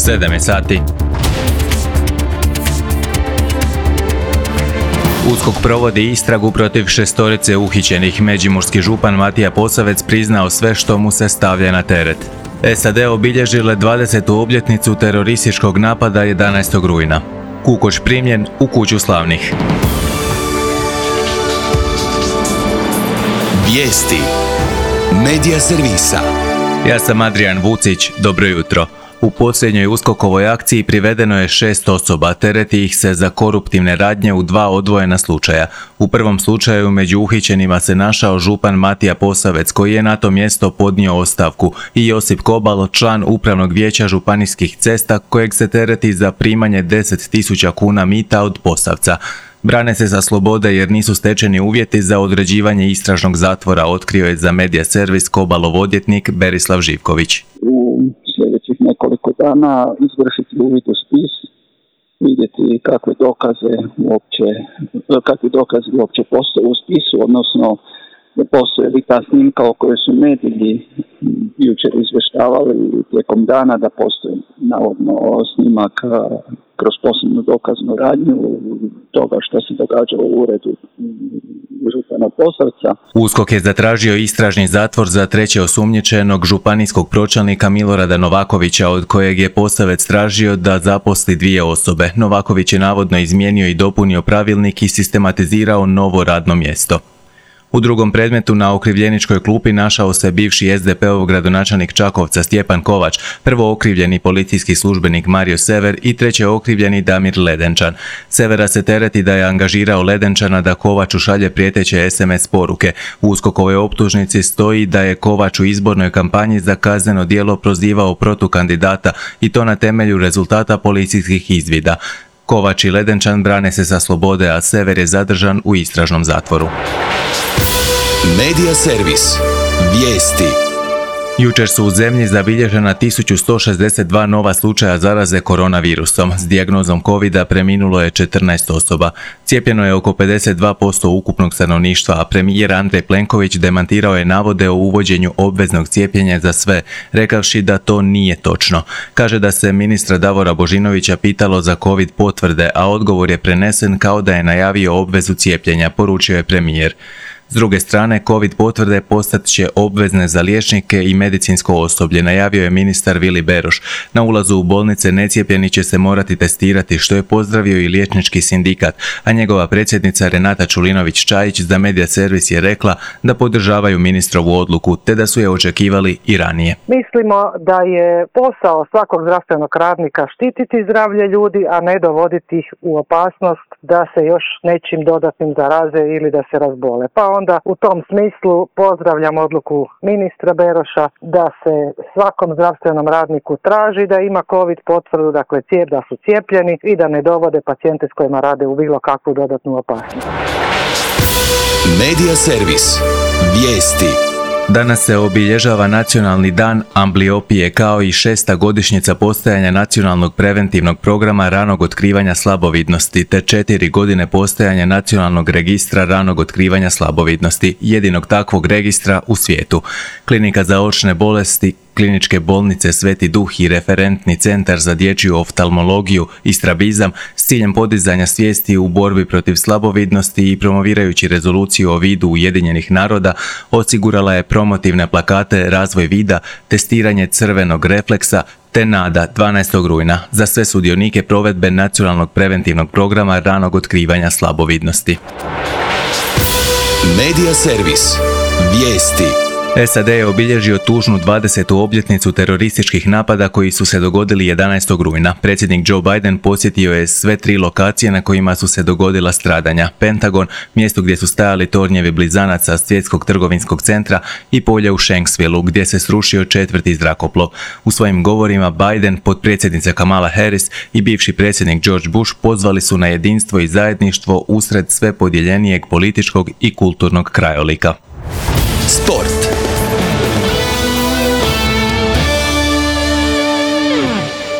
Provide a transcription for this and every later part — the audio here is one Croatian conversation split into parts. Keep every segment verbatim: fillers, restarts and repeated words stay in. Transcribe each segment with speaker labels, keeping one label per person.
Speaker 1: sedam je sati. USKOK provodi istragu protiv šestorice uhićenih. Međimurski župan Matija Posavec priznao sve što mu se stavlja na teret. S A D obilježile dvadesetu obljetnicu terorističkog napada jedanaestog rujna. Kukoč primljen u kuću slavnih.
Speaker 2: Vijesti Medija servisa.
Speaker 1: Ja sam Adrian Vucić, dobro jutro. U posljednjoj USKOK-ovoj akciji privedeno je šest osoba, tereti ih se za koruptivne radnje u dva odvojena slučaja. U prvom slučaju među uhićenima se našao župan Matija Posavec, koji je na to mjesto podnio ostavku, i Josip Kobalo, član upravnog vijeća županijskih cesta, kojeg se tereti za primanje deset tisuća kuna mita od Posavca. Brane se sa slobode jer nisu stečeni uvjeti za određivanje istražnog zatvora, otkrio je za Medija servis Kobalov odvjetnik Berislav Živković.
Speaker 3: Sljedećih nekoliko dana izvršiti uvid u spis, vidjeti kakve dokaze uopće, kakvi dokazi uopće postoje u spisu, odnosno postoje li ta snimka o kojoj su mediji jučer izvještavali tijekom dana, da postoji navodno snimak kroz posebnu dokaznu radnju toga što se događalo u uredu župana Posavca.
Speaker 1: USKOK je zatražio istražni zatvor za treće osumnjičenog županijskog pročelnika Milorada Novakovića, od kojeg je Posavec tražio da zaposli dvije osobe. Novaković je navodno izmijenio i dopunio pravilnik i sistematizirao novo radno mjesto. U drugom predmetu na okrivljeničkoj klupi našao se bivši S D P-ov gradonačelnik Čakovca Stjepan Kovač, prvo okrivljeni policijski službenik Mario Sever i treće okrivljeni Damir Ledenčan. Severa se tereti da je angažirao Ledenčana da Kovaču šalje prijeteće S M S poruke. U USKOK-ovoj optužnici stoji da je Kovač u izbornoj kampanji za kazneno djelo prozivao protukandidata i to na temelju rezultata policijskih izvida. Kovač i Ledenčan brane se sa slobode, a Sever je zadržan u istražnom zatvoru.
Speaker 2: Medija servis. Vijesti.
Speaker 1: Jučer su u zemlji zabilježena tisuću sto šezdeset dva nova slučaja zaraze koronavirusom. S dijagnozom kovida preminulo je četrnaest osoba. Cijepljeno je oko pedeset dva posto ukupnog stanovništva, a premijer Andrej Plenković demantirao je navode o uvođenju obveznog cijepljenja za sve, rekavši da to nije točno. Kaže da se ministra Davora Božinovića pitalo za covid potvrde, a odgovor je prenesen kao da je najavio obvezu cijepljenja, poručio je premijer. S druge strane, covid potvrde postat će obvezne za liječnike i medicinsko osoblje, najavio je ministar Vili Beroš. Na ulazu u bolnice necijepljeni će se morati testirati, što je pozdravio i liječnički sindikat, a njegova predsjednica Renata Čulinović-Čajić za Medija servis je rekla da podržavaju ministrovu odluku, te da su je očekivali i ranije.
Speaker 4: Mislimo da je posao svakog zdravstvenog radnika štititi zdravlje ljudi, a ne dovoditi ih u opasnost da se još nečim dodatnim zaraze ili da se razbole. Pa onda u tom smislu pozdravljam odluku ministra Beroša da se svakom zdravstvenom radniku traži da ima covid potvrdu, dakle cijep, da su cijepljeni i da ne dovode pacijente s kojima rade u bilo kakvu dodatnu opasnost.
Speaker 2: Medija servis. Vijesti.
Speaker 1: Danas se obilježava Nacionalni dan ambliopije, kao i šesta godišnjica postojanja Nacionalnog preventivnog programa ranog otkrivanja slabovidnosti, te četiri godine postojanja Nacionalnog registra ranog otkrivanja slabovidnosti, jedinog takvog registra u svijetu. Klinika za očne bolesti Kliničke bolnice Sveti Duh i referentni centar za dječju oftalmologiju i strabizam s ciljem podizanja svijesti u borbi protiv slabovidnosti i promovirajući rezoluciju o vidu Ujedinjenih naroda osigurala je promotivne plakate Razvoj vida, testiranje crvenog refleksa te Nada dvanaestog rujna za sve sudionike provedbe Nacionalnog preventivnog programa ranog otkrivanja slabovidnosti.
Speaker 2: Medija servis. Vijesti.
Speaker 1: S A D je obilježio tužnu dvadesetu obljetnicu terorističkih napada koji su se dogodili jedanaestog rujna. Predsjednik Joe Biden posjetio je sve tri lokacije na kojima su se dogodila stradanja. Pentagon, mjesto gdje su stajali tornjevi blizanaca Svjetskog trgovinskog centra, i polje u Shanksvilleu gdje se srušio četvrti zrakoplov. U svojim govorima Biden, potpredsjednica Kamala Harris i bivši predsjednik George Bush pozvali su na jedinstvo i zajedništvo usred sve podjeljenijeg političkog i kulturnog krajolika.
Speaker 2: Sport.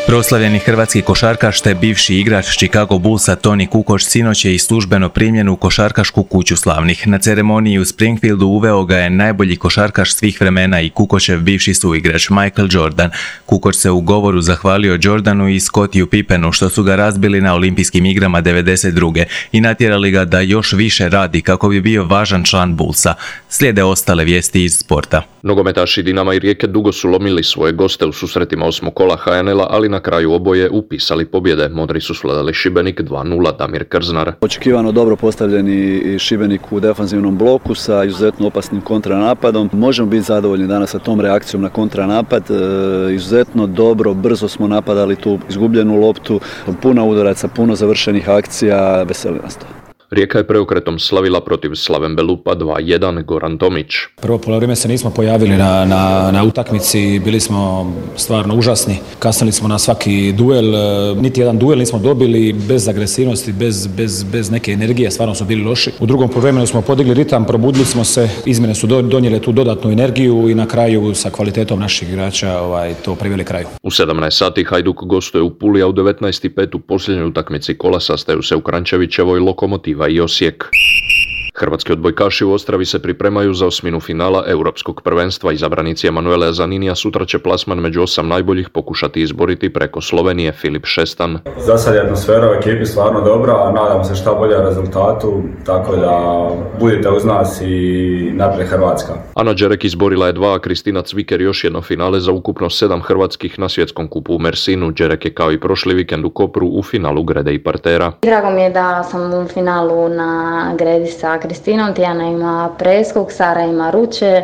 Speaker 1: Proslavljeni hrvatski košarkaš te bivši igrač Chicago Bullsa Toni Kukoč sinoć je i službeno primljen u košarkašku kuću slavnih. Na ceremoniji u Springfieldu uveo ga je najbolji košarkaš svih vremena i Kukočev bivši suigrač Michael Jordan. Kukoč se u govoru zahvalio Jordanu i Scottiju Pippenu što su ga razbili na olimpijskim igrama devedeset druge i natjerali ga da još više radi kako bi bio važan član Bullsa. Slijede ostale vijesti iz sporta.
Speaker 5: Nogometaši Dinama i Rijeke dugo su lomili svoje goste u susretima osmog kola ha en el-a, ali na kraju oboje upisali pobjede. Modri su svladali Šibenik dva nula, Damir Krznar.
Speaker 6: Očekivano dobro postavljeni Šibenik u defanzivnom bloku sa izuzetno opasnim kontranapadom. Možemo biti zadovoljni danas sa tom reakcijom na kontranapad. E, izuzetno dobro, brzo smo napadali tu izgubljenu loptu, puno udoraca, puno završenih akcija, veseli nas to.
Speaker 5: Rijeka je preokretom slavila protiv Slaven Belupa dva jedan, Goran Tomić.
Speaker 7: Prvo polovrijeme se nismo pojavili na, na, na utakmici, bili smo stvarno užasni. Kasnili smo na svaki duel, niti jedan duel nismo dobili, bez agresivnosti, bez, bez, bez neke energije, stvarno su bili loši. U drugom poluvremenu smo podigli ritam, probudili smo se, izmjene su donijele tu dodatnu energiju i na kraju sa kvalitetom naših igrača ovaj, to priveli kraju.
Speaker 5: U sedamnaest sati Hajduk gostuje u Puli, a u devetnaest i pet u posljednjoj utakmici kola sastaju se u Kranjčevićevoj Lokomotiva i Osijek. Hrvatski odbojkaši u Ostravi se pripremaju za osminu finala europskog prvenstva. Izabranici Emanuele Zaninija sutra će plasman među osam najboljih pokušati izboriti preko Slovenije. Filip Šestan.
Speaker 8: Za sad je atmosfera u ekipi stvarno dobra, a nadam se šta bolje rezultatu, tako da budite uz nas i naprijed Hrvatska.
Speaker 5: Ana Đerek izborila je dva, a Kristina Cviker još jedno finale za ukupno sedam hrvatskih na svjetskom kupu u Mersinu. Đerek je kao i prošli vikend u Kopru u finalu grede i partera.
Speaker 9: Drago mi je da sam u finalu na gredi sa Kristinom, Tijana ima preskok, Sara ima ruče, e,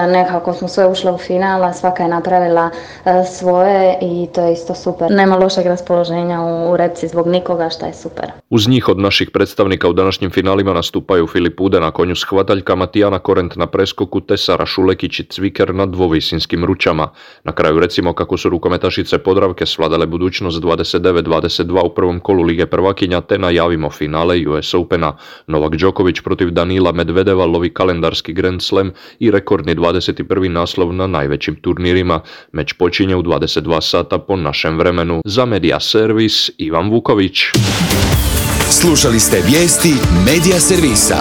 Speaker 9: nekako smo sve ušle u finala, svaka je napravila e, svoje i to je isto super. Nema lošeg raspoloženja u, u repci zbog nikoga, što je super.
Speaker 5: Uz njih od naših predstavnika u današnjim finalima nastupaju Filip Ude na konju s hvataljkama, Tijana Korent na preskoku te Sara Šulekić i Cviker na dvovisinskim ručama. Na kraju recimo kako su rukometašice Podravke svladale budućnost dvadeset devet dvadeset dva u prvom kolu Lige prvakinja te najavimo finale U S Opena. Novak Đoković protiv Danila Medvedeva lovi kalendarski Grand Slam i rekordni dvadeset prvi naslov na najvećim turnirima. Meč počinje u dvadeset dva sata po našem vremenu. Za Media Servis Ivan Vuković.
Speaker 2: Slušali ste vijesti Media Servisa.